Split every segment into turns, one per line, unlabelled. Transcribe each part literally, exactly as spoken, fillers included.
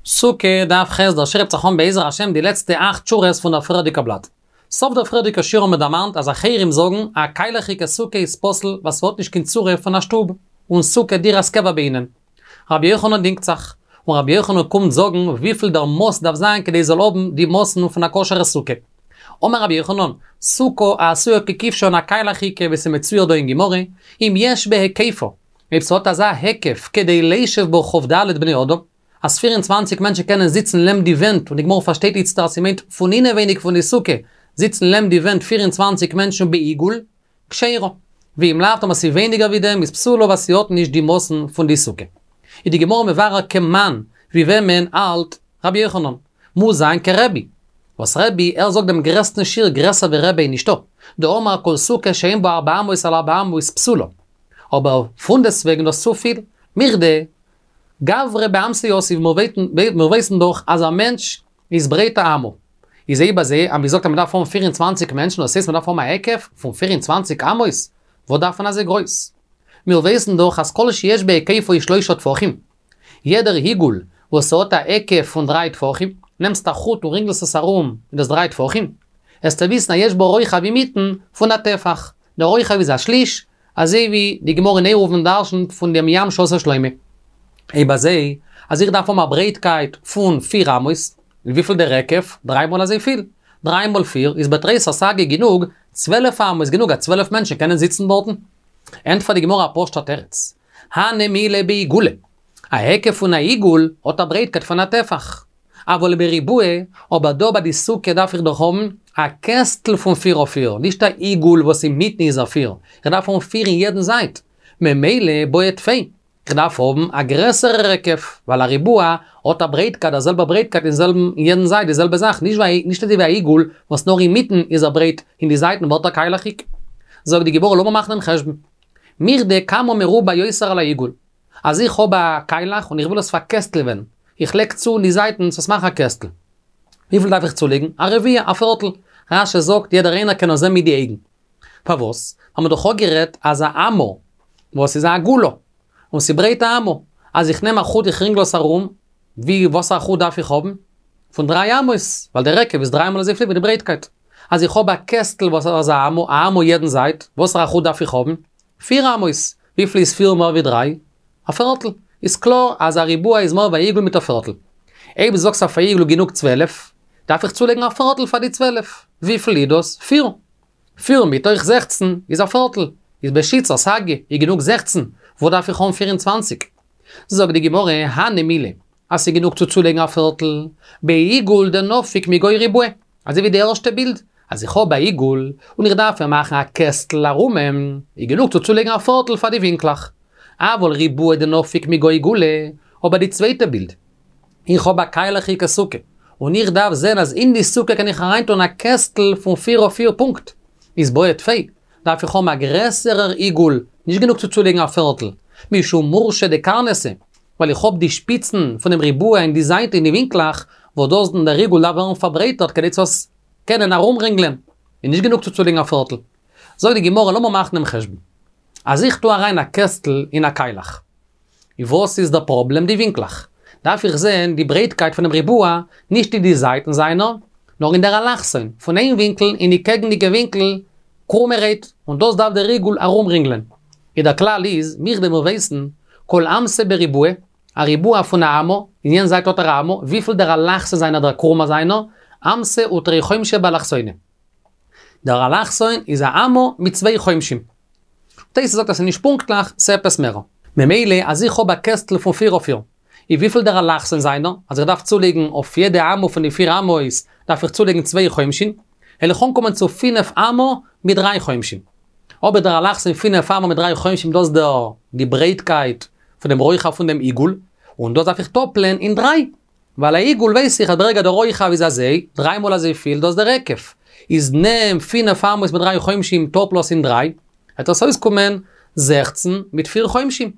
סוכה דף ח' דער שיעור הייבט זיך אן בעזר השם די לעצטע אכט שורות פון דער פריערדיגע בלאט. סוף דער פריערדיגע שיעור האבן מיר דערמאנט אז אחרים זאגן א קיילעכיגע סוכה איז פסול ווייל ס'האט נישט קיין צורה פון א שטוב, און סוכה דירת קבע בעינן. רבי יוחנן דינגט זיך, און רבי יוחנן קומט זאגן וויפיל דער מאס דארף זיין כדי ס'זאל האבן די מאסן פון א כשר'ע סוכה. אמר רבי יוחנן, סוכה העשויה ככבשן א קיילעכיגע ווי ס'מצויר דא אין גמרא, אם יש בהיקפה, אויב ס'האט אזא היקף כדי לישב בה כ"ד בני אדם, אז פֿיר און צוואַנציק מענטשן קענען זיצן לעם די ווענט, און די גמרא פארשטייט איצטער אז ס'מיינט פון אינעווייניג פון די סוכה, זיצן לעם די ווענט פֿיר און צוואַנציק מענטשן בעיגול, כשרה. ואם לאו טאמער ס'איז ווייניגער ווי דעם איז פסולה ווייל ס'האט נישט די מאסן פון די סוכה. איז די גמרא מברר כמאן, ווי וועמען האלט רבי יוחנן? מוז זיין כרבי. וואס רבי, ער זאגט דעם גרעסטן שיעור גרעסער ווי רבי איז נישטא. דאמר כל סוכה שאין בה ארבע אמות על ארבע אמות פסולה. אבער פונדעסטוועגן דאס צופיל, מכדי גברא באמתא יתיב, מיר ווייסן דאך אז א מענטש איז ברייט א אמה. איז אויב אזוי אז מ'זאגט אז מ'דארף האבן פֿיר און צוואַנציק מענטשן דאס הייסט מ'דארף האבן א היקף פון פֿיר און צוואַנציק אמות, וואס דארף מען אזוי גרויס? מיר ווייסן דאך אז כל שיש בהיקפו שלושה טפחים. יעדער עיגול וואס האט א היקף פון דריי טפחים, נעמסט א חוט און רינגלסט עס ארום איז דאס דריי טפחים, עסטו וויסן אז יש בו רוחב אינמיטן פון א טפח, דער רוחב איז א שליש, אזוי ווי די גמרא אין עירובין דרשנ'ט פון דעם ים שעשה שלמה. אויב אזוי, אז איך דארף האבן א ברייטקייט פון פיר אמות, וויפיל דער היקף? דריי מאל אזוי פיל. דריי מאל פיר איז בתריסר סגי גענוג, צוועלף אמות איז גענוג אז צוועלף מענטשן קענען זיצן דארטן. ענטפערט די גמרא א פשוט'ע תירוץ. הני מילי בעיגולא. א היקף פון א עיגול האט א ברייטקייט פון א טפח. אבל בריבועא, אבער דא ביי די סוכה דארף איך דאך האבן א קעסטל פון פיר אויף פיר, נישט א עיגול וואס אינמיטן איז א פיר, איך דארף האבן פיר אין יעדן זייט, ממילא בעי טפי, איך דארף האבן א גרעסערע היקף, ווייל א ריבוע האט א ברייטקייט א זעלבע ברייטקייט אין זעלבן אין יעדן זייט די זעלבע זאך, נישט ווי נישט אזוי ווי א עיגול וואס נאר אינמיטן איז ער ברייט אין די זייטן ווערט ער קיילעכיג. זאגט די גמרא לאמיר מאכן דעם חשבון. מכדי כמה מרובע יותר על העיגול. אז איך האב א קיילעך און איך וויל עס פארקעסטלעווען, איך לייג צו אין די זייטן צו עס מאכן א קעסטל. וויפיל דארף איך צולייגן? א רביע, א פערטל. רש"י זאגט יעדער איינער קען עס זען מיט די אויגן. פארוואס? האבן מיר דאך אפגערעדט אז א אמה, וואס איז א עגולה, און ס'ברייט א אמה, אז איך נעם א חוט איך רינגל עס ארום, ווי וואסערע חוט דארף איך האבן? פון דריי אמות, ווייל דער היקף איז דריי מאל אזויפיל ווי די ברייטקייט. אז איך האב א קעסטל וואס איז א אמה, א אמה יעדן זייט, וואסערע חוט דארף איך האבן? פיר אמות, וויפיל איז פיר מער ווי דריי? א פערטל. איז קלאר אז א ריבוע איז מער ווי א עיגול מיט א פערטל. אויב זאגסט אויף א עיגול גענוג צוועלף, דארף איך צולייגן א פערטל פאר די צוועלף. וויפיל איז דאס? פיר. פיר מתוך זעכצן איז א פערטל. איז בשיתסר סגי איז גענוג זעכצן, וואס דארף איך האבן פיר און צוואנציג? זאגט די גמרא, הני מילי, אז ס'איז גענוג צו צולייגן א פערטל, בעיגול דנפיק מגו ריבועא, אזוי ווי די ערשטע בילד, אז איך האב א עיגול, און איך דארף אים מאכן א קעסטל ארום אים, איז גענוג צו צולייגן א פערטל פאר די ווינקלעך. אבל ריבועא דנפיק מגו עיגולא, אבער די צווייטע בילד, איך האב א קיילעכיגע סוכה, און איך דארף זען אז אין די סוכה קען איך אריינטון א קעסטל פון פיר אויף פיר פונקט, איז בעי טפי, דארף איך האבן א גרעסערער עיגול, נישט גענוג צו צולייגן א פערטל, משום מורשא דקרנתא, ווייל איך האב די שפיצן פונעם ריבוע אין די זייט אין די ווינקלעך, וואס דאס דער עיגול דארף ווערן פארברייטערט כדי צו עס קענען ארומרינגלען, איז נישט גענוג צו צולייגן א פערטל. זאגט די גמרא לאמיר מאכן דעם חשבון. אז איך טו אריין א קעסטל אין א קיילעך, וואס איז דער פראבלעם? די ווינקלעך. דארף איך זען די ברייטקייט פונעם ריבוע, נישט אין די זייטן זיינער, נאר אין דער אלכסון, פון איין ווינקל אין די קעגנדיגע ווינקל, קרומערהייט, און דאס דארף דער עיגול ארומרינגלען. איז דער כלל איז, מכדי מיר ווייסן, כל אמתא בריבועא, א ריבוע פון א אמה, אין יענע זייט האט ער א אמה, וויפיל דער אלכסון זיינער דער קרומער זיינער, אמתא ותרי חומשי באלכסונא. דער אלכסון איז א אמה מיט צוויי חומשים. תוס' זאגט אז ס'איז נישט פונקטליך, ס'עפעס מער. ממילא אז איך האב א קעסטל פון פיר אויף פיר, איז וויפיל דער אלכסון זיינער, אז איך דארף צולייגן אויף יעדע אמה פון די פיר אמות, דארף איך צולייגן צוויי חומשים, וועל איך אנקומען צו פינף אמה מיט דריי חומשים. אבער דער אלכסון פינף אמה מיט דריי חומשים דאס דער די ברייטקייט פון דעם רוחב פון דעם עיגול, און דאס דארף איך טאפלען אין דריי, ווייל א עיגול ווייס איך אז ברגע דער רוחב איז אזוי, דריי מאל אזוי פיל, דאס דער היקף. איז נעם פינף אמות מיט דריי חומשים טאפל עס אין דריי, וועט עס אויסקומען זעכצן מיט פיר חומשים.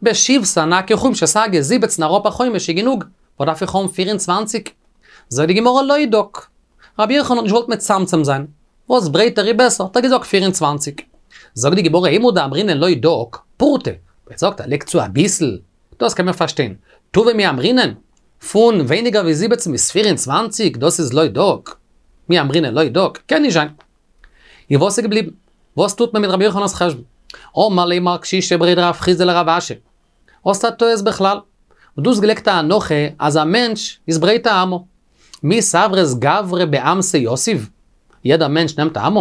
בשיבסר נכי חומשא סגי, זיבעצן אראפ א חומש איז גענוג, וואס דארף איך האבן פֿיר און צוואַנציק? זאגט די גמרא לא דק. רבי יוחנן האט נישט געוואלט מצמצם זיין, וואס ברייטער איז בעסער, האט ער געזאגט פֿיר און צוואַנציק. זאגט די גמרא אימור דאמרינן לא דק, פורתא, ער זאגט ער לייגט צו אביסל, דאס קען מען פארשטיין. טובא מי אמרינן? פון ווייניגער ווי זיבעצן ביז פֿיר און צוואַנציק, דאס איז לא דק. מי אמרינן לא דק, קען נישט זיין. און וואס איז געבליבן? וואס טוט מען מיט רבי יוחנן'ס חשבון? אמר ליה מר קשישא בריה דרב חסדא לרב אשי. האסט א טעות בכלל. און דו האסט געלייגט א הנחה אז א מענטש איז ברייט א אמה. מי סברת גברא באמתא יתיב? יעדער מענטש נעמט א אמה?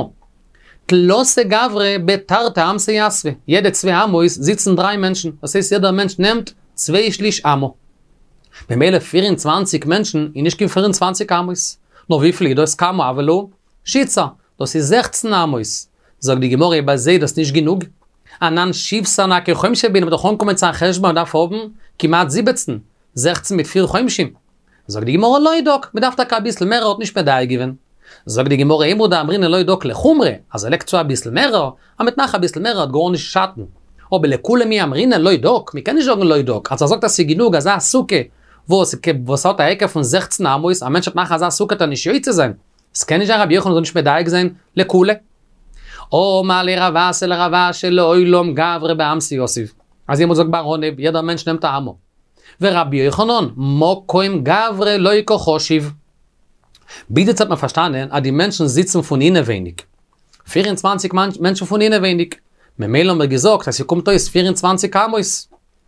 תלתא גברי בתרתי אמתא יתבי, יעדע צוויי אמות זיצן דריי מענטשן, דאס הייסט יעדער מענטש נעמט צוויי שליש אמה. במילא פֿיר און צוואַנציק מענטשן איז נישט קיין פֿיר און צוואַנציק אמות. נאר וויפיל איז דאס כמה הוה להו? שיתסר, דאס איז זעכצן אמות. זאגט די גמרא אויב אזוי איז דאס נישט גענוג. אנן שיבסר נכי חומשא בעינן, מ'וועט דאך אנקומען צו א חשבון מ'דארף האבן כמעט זיבעצן, זעכצן מיט פיר חומשין. זאגט די גמרא לא דק, מ'דארף טאקע אביסל מער, ער האט נישט מדייק געווען. זאגט די גמרא אימור דאמרינן לא דק לחומרא, אז ער לייגט צו אביסל מערער, אז מ'וועט מאכן אביסל מערער וועט גארנישט שאטן. אבער לקולא מי אמרינן לא דק, מ'קען נישט זאגן לא דק, אז ער זאגט אז ס'איז גענוג אזא סוכה וואס וואס האט א היקף פון זעכצן אמות, א מענטש וועט מאכן אזא סוכה וועט ער נישט יוצא זיין. ס'קען נישט זיין רבי יוחנן זאל נישט מדייק זיין לקולא. אמר ליה רב אסי לרב אשי לעולם גברא באמתא יתיב. אזוי האט מען געזאגט ביי אנהייב, יעדער מענטש נעמט א אמה. ורבי יוחנן, מקום גברא לא קא חשיב. ביז יעצט האט מען פארשטאנען אז די מענטשן זיצן פון אינעווייניג. פֿיר און צוואַנציק מענטשן פון אינעווייניג. ממילא האבן מיר געזאגט אז ס'קומט אויס פֿיר און צוואַנציק אמות.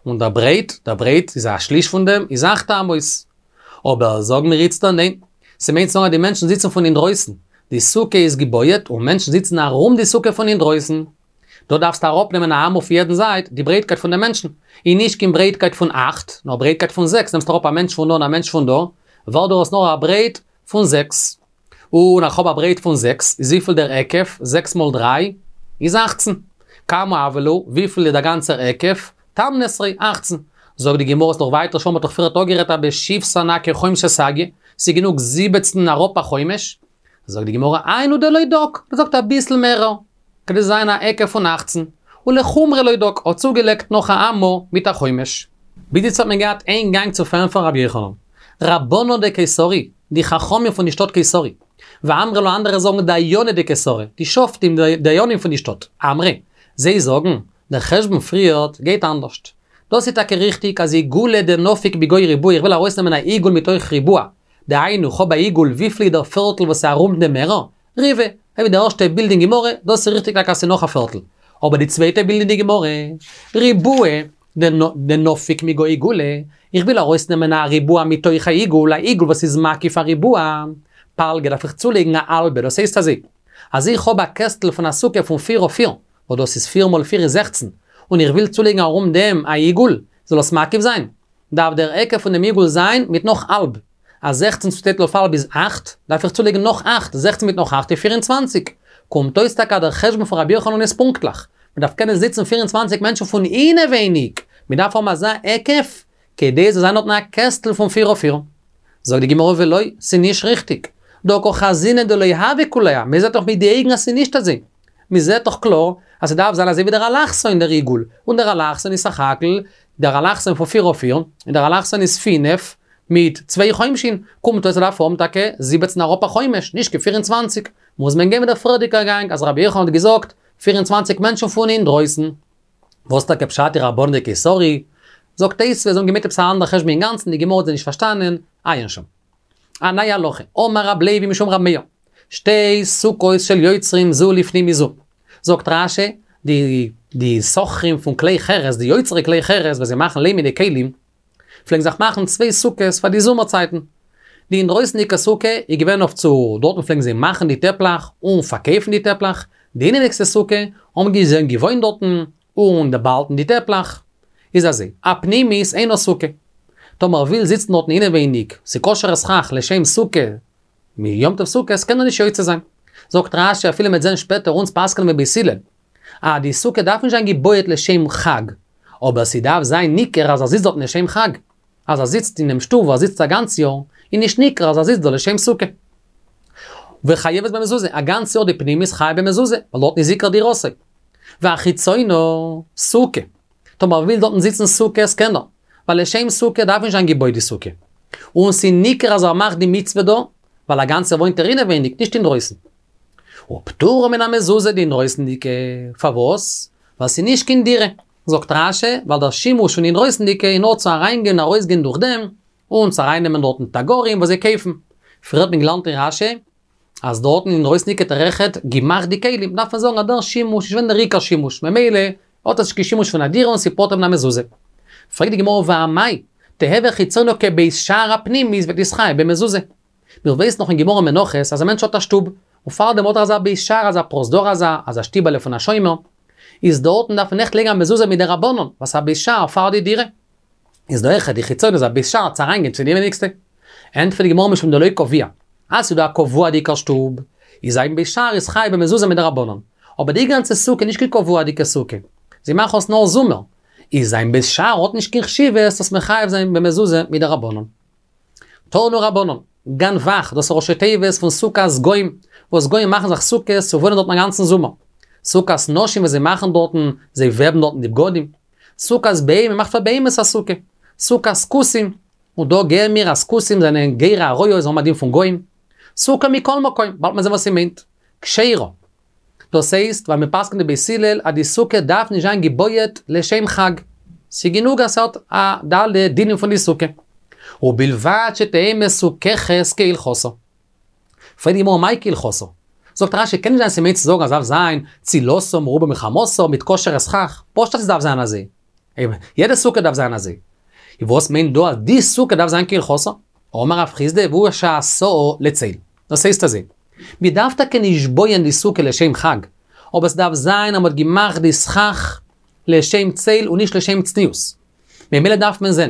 און דער ברייט, דער ברייט איז א שליש פון דעם, איז אַכט אמות. אבער זאגן מיר איצטער ניין. ס'מיינט צו זאגן אז די מענטשן זיצן פון אינדרויסן. די סוכה איז געבויעט און מענטשן זיצן ארום די סוכה פון אינדרויסן. דא דארפסטו אראפנעמען א אמה אויף יעדן זייט, די ברייטקייט פון די מענטשן. איז נישט קיין ברייטקייט פון אַכט, נאר ברייטקייט פון זעקס, נעמסט אראפ א מענטש פון דא און א מענטש פון דא, ווערט דאס נאר א ברייט פון זעקס. און איך האב א ברייט פון זעקס, איז וויפיל דער היקף? זעקס מאל דריי איז אַכצן. כמה הוה להו, וויפיל איז דער גאנצער היקף? תמנעשרי, אַכצן. זאגט די גמרא נאך ווייטער שוין מ'האט דאך פריערט אפגערעדט אז בשיבסר נכי חומשא סגיא, ס'איז גענוג זיבעצן אראפ א חומש. זאגט די גמרא היינו דלא דק, מ'זאגט אביסל מערער, כדי זיין א היקף פון אַכצן, ולחומרא לא דק, האט צוגעלייגט נאך א אמה מיט א חומש. ביז יעצט האט מען געהאט איין גאנג צו פארענטפערן רבי יוחנן. רבנן דקיסרי, די חכמים פון די שטאט קיסרי. ואמרי לה אנדערע זאגן דייני דקיסרי, די שופטים די דיינים פון די שטאט. אמרי, זיי זאגן, דער חשבון פריערט גייט אנדערשט. דאס איז טאקע ריכטיג אז עיגולא דנפיק מגו ריבועא, איך וויל ארויסנעמען א עיגול מתוך ריבוע, דהיינו כ'האב א עיגול וויפיל איז דער פערטל וואס איז ארום דעם מערער? ריבעא, אזוי ווי די ערשטע בילד אין גמרא, דאס איז ריכטיג טאקע אז ס'איז נאך א פערטל. אבער די צווייטע בילד אין די גמרא, ריבועא דנפיק מגו עיגולא, איך וויל ארויסנעמען א ריבוע מתוך א עיגול, א עיגול וואס איז מקיף א ריבוע, פלגא דארף איך צולייגן א האלבע, דאס הייסט אזוי, אז איך האב א קעסטל פון א סוכה פון פיר אויף פיר, וואס דאס איז פיר מאל פיר איז זעכצן, און איך וויל צולייגן ארום דעם א עיגול, זאל עס מקיף זיין, דארף דער היקף פון דעם עיגול זיין מיט נאך האלב, אז זעכצן צוטיילט אויף האלב איז אַכט, דארף איך צולייגן נאך אַכט, זעכצן מיט נאך אַכט איז פֿיר און צוואַנציק. קומט אויס טאקע אז דער חשבון פון רבי יוחנן איז פונקטליך, מען דארף קענען זיצן פֿיר און צוואַנציק מענטשן פון אינעווייניג, מען דארף האבן אזא היקף, כדי עס זאל זיין דארטן א קעסטל פון פֿיר אויף פֿיר. זאגט די גמרא ולא, ס'איז נישט ריכטיג. דהא קא חזינן דלא הוי כולי האי, מען זעט דאך מיט די אויגן אז ס'איז נישט אזוי. מען זעט דאך קלאר אז ס'דארף זיין אזוי ווי דער אלכסון דער עיגול, און דער אלכסון איז סך הכל דער אלכסון פון פֿיר אויף פֿיר, און דער אלכסון איז פֿינף מיט צוויי חומשין, קומט אויס ס'דארף האבן טאקע זיבעצן אראפ א חומש, נישט קיין פֿיר און צוואַנציק, מוז מען גיין מיט דער פריערדיגער גאנג אז רבי יוחנן האט געזאגט פֿיר און צוואַנציק מענטשן פון אינדרויסן. וואס טאקע פשט די רבנן דקיסרי? זאגט תוספות זיי האבן געמיינט עפעס א אנדער חשבון אינגאנצן, די גמרא האט זיי נישט פארשטאנען, עיין שם. א נייע הלכה, אמר רב לוי משום רב מאיר, שתי סוכות של יוצרים זו לפנים מזו. זאגט רש"י, די די סוחרים פון כלי חרס, די יוצרי כלי חרס וואס זיי מאכן ליימענע כלים, פלעגן זיך מאכן צוויי סוכות פאר די זומער צייטן. די אינדרויסנדיגע סוכה איז געווען אויף צו, דארטן פלעגן זיי מאכן די טעפלעך און פארקויפן די טעפלעך, די אינעווייניגסטע סוכה האבן זיי געוואוינט דארטן און באהאלטן די טעפלעך. איז אזוי, הפנימית אינה סוכה. טאמער ער וויל זיצן דארטן אינעווייניג, ס'כשר'ע סכך לשם סוכה, מיום טוב סוכות קען ער נישט יוצא זיין. זאגט רש"י אפילו מ'עט זען שפעטער אונז פסק'נען ווי בית הלל, אז די סוכה דארף נישט זיין געבויעט לשם חג, אבער ס'דארף זיין ניכר אז ער זיצט דארטן לשם חג. אז ער זיצט אינעם שטוב וואו ער זיצט א גאנץ יאר, איז נישט ניכר אז ער זיצט דא לשם סוכה. וחייבת במזוזה, א גאנץ יאר די פנימית חייב במזוזה, ווייל דארטן איז עיקר דירתו. והחיצונה סוכה. טאמער ער וויל דארטן זיצן סוכות קען ער, ווייל לשם סוכה דארף נישט זיין געבויט די סוכה. און ס'איז ניכר אז ער מאכט די מצוה דא, ווייל א גאנץ יאר וואוינט ער אינעווייניג, נישט אינדרויסן. ופטורה מן המזוזה די אינדרויסנדיגע, פארוואס? ווייל ס'איז נישט קיין דירה. זאגט רש"י, ווייל דער שימוש פון אינדרויסנדיגע איז נאר צו אריינגיין און ארויסגיין דורך דעם, און צו ארייננעמען דארטן תגרים וואס זיי קויפן. פריער האט מען געלערנט אין רש"י, אז דארטן אינדרויסן האט ער אויכעט געמאכט די כלים, דארף מען זאגן אז דער שימוש איז געווען דער עיקר שימוש, ממילא האט עס נישט קיין שימוש פון א דירה און ס'פטור מן המזוזה. פרעגט די גמרא ואמאי, תיהוי חיצונה כבית שער הפנימית ותתחייב במזוזה. מיר ווייסן נאך אין גמרא מנחות אז א מענטש האט א שטוב, און פארדעם האט ער אזא בית שער אזא פרוזדור אזא, אזא שטיבעלע פון א שומר, איז דארטן דארף מען אויכעט לייגן א מזוזה מדרבנן, וואס א בית שער פאר די דירה. איז דא אויכעט די חיצונה איז א בית שער צו אריינגיין צו די אינעווייניגסטע. ענטפערט די גמרא משום דלא קביע, אז ס'איז דא א קבוע'דיגער שטוב, איז זיין בית שער איז חייב במזוזה מדרבנן. אבער די גאנצע סוכה איז נישט קיין קבוע'דיגע סוכה. זיי מאכן עס נאר זומער. איז זיין בית שער האט נישט קיין חשיבות דאס מחייב זיין במזוזה מדרבנן. תנו רבנן, גנב"ך, דאס איז ראשי תיבות פון סוכת גוים, וואס גוים מאכן זיך סוכות צו וואוינען דארטן א גאנצן זומער. סוכת נשים וואס זיי מאכן דארטן, זיי וועבן דארטן די בגדים. סוכת בהמה, מ'מאכט פאר בהמות א סוכה. סוכת כותים, און דא געבן מיר אז כותים זענען גרי אריות, זיי האבן א דין פון גוים. סוכה מכל מקום, באלד מיר זען וואס ס'מיינט. כשרה. דאס הייסט, ווייל מ'פסק'נט די בית הלל אז די סוכה דארף נישט זיין געבויעט לשם חג. ס'גענוג אז ס'האט א די אלע דינים פון די סוכה. ובלבד שתהא מסוככת כהלכתה. פרעגט די גמרא מאי כהלכתה? זאגט רש"י קען נישט זיין ס'מיינט צו זאגן אז דארף זיין צילתה מרובה מחמתה מיט כשר'ע סכך, פשוט אז ס'דארף זיין אזוי. יעדע סוכה דארף זיין אזוי. וואס מיינט דא אז די סוכה דארף זיין כהלכתה? אמר רב חסדא והוא שעשאה לצל. דאס הייסט אזוי, מ'דארף טאקע נישט בויען די סוכה לשם חג, אבער ס'דארף זיין אז מ'האט געמאכט די סכך לשם צל און נישט לשם צניעות. ממילא דארף מען זען,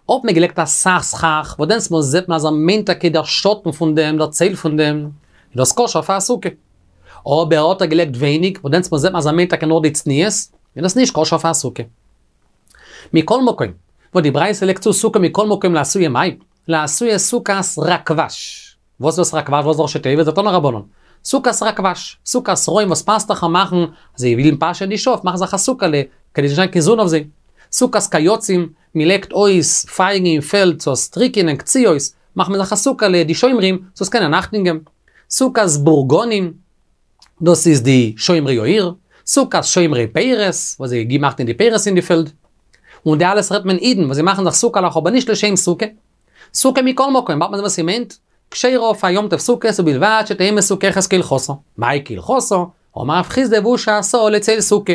אויב מ'האט געלייגט אסאך סכך, וואס דענסטמאל זעט מען אז ער מיינט טאקע דער שאטן פון דעם, דער צל פון דעם, איז דאס כשר פאר א סוכה. אבער האט ער געלייגט ווייניג, וואס דענסטמאל זעט מען אז ער מיינט טאקע נאר די צניעות, איז דאס נישט כשר פאר א סוכה. מכל מקום, וואס די ברייתא לייגט צו סוכה מכל מקום לאתויי מאי, לאתויי סוכת ראקוואש. וואס איז דאס ראקוואש? וואס איז ראשי תיבות? זה תנו רבנן. סוכת ראקוואש, סוכת רועים וואס פאסטעכער מאכן, אז זיי ווילן פאשען די שאף, מאכן זיך א סוכה'לע, כדי ס'זאל נישט זיין קיין זון אויף זיי. סוכת קייצים, מ'לייגט אויס פייגן אין פעלד צו עס טריקענען קציעות, מאכט מען זיך א סוכה'לע, די שומרים, צו עס קענען אכטונג געבן. סוכת בורגנים, דאס איז די שומרי העיר, סוכת שומרי פירות, וואס זיי גיבן אכט אין די פירות אין די פעלד. און די אלעס רעדט מען אידן וואס זיי מאכן זיך סוכה'לעך אבער נישט לשם סוכה. סוכה מכל מקום, באלד מען זען וואס ס'מיינט, כשרה אויף א יום טוב סוכות ובלבד שתהא מסוככת כהלכתה. מאי כהלכתה? אמר רב חסדא והוא שעשאה לצל סוכה.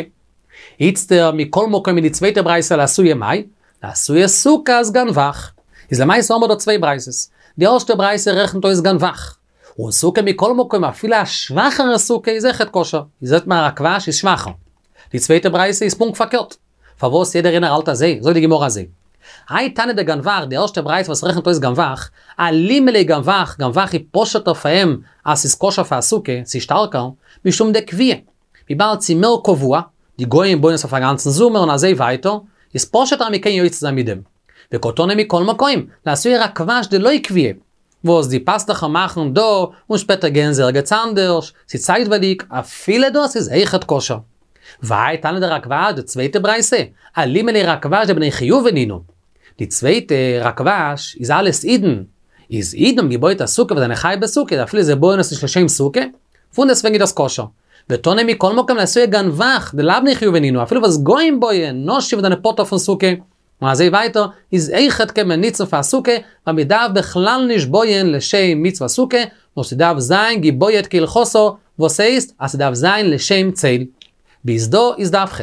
איצטער מכל מקום אין די צווייטע ברייתא לאתויי מאי, לאתויי סוכת גנב"ך. איז למעשה האבן מיר דא צוויי ברייתות. די ערשטע ברייתא רעכנט אויס גנב"ך. און סוכה מכל מקום אפילו א שוואכערע סוכה איז אויכעט כשר, איז זעט מען ראקוואש איז שוואכער. די צווייטע ברייתא איז פונקט פארקערט. פארוואס יעדער איינער האלט אזוי? זאגט די גמרא אזוי. האי תנא דגנב"ך, די ערשטע ברייתא וואס רעכנט אויס גנב"ך, אלימא ליה גנב"ך, גנב"ך איז פשוט'ער פאר אים אז ס'איז כשר פאר א סוכה, ס'איז שטארקער, משום דקביעי. וויבאלד ס'איז מער קבוע, די גויים בויען עס אויף א גאנצן זומער און אזוי ווייטער, איז פשוט'ער אז מ'קען יוצא זיין מיט דעם. וקתני מכל מקום, לאתויי ראקוואש דלא קביעי, וואס די פאסטעכער מאכן דא און שפעטער גייען זיי ערגעץ אנדערש, ס'איז צייטווייליג, אפילו דאס איז אויכעט כשר. והאי תנא דראקוואש די צווייטע ברייתא, אלימא ליה ראקוואש דבני חיובא נינהו. די צווייטע ראקוואש איז אלעס אידן, איז אידן האבן געבויט א סוכה וואס זענען חייב בסוכה, אפילו זיי בויען עס נישט לשם סוכה, פונדעסטוועגן איז דאס כשר. ותנא מכל מקום לאתויי גנב"ך דלאו בני חיובא נינהו, אפילו וואס גוים בויען, נשים וואס זענען פטור פון סוכה, און אזוי ווייטער, איז אויכעט קען מען ניצן פאר א סוכה, ווייל מען דארף בכלל נישט בויען לשם מצוות סוכה, נאר ס'דארף זיין געבויעט כהלכתה, וואס הייסט אז ס'דארף זיין לשם צל. ביז דא איז דף ח'.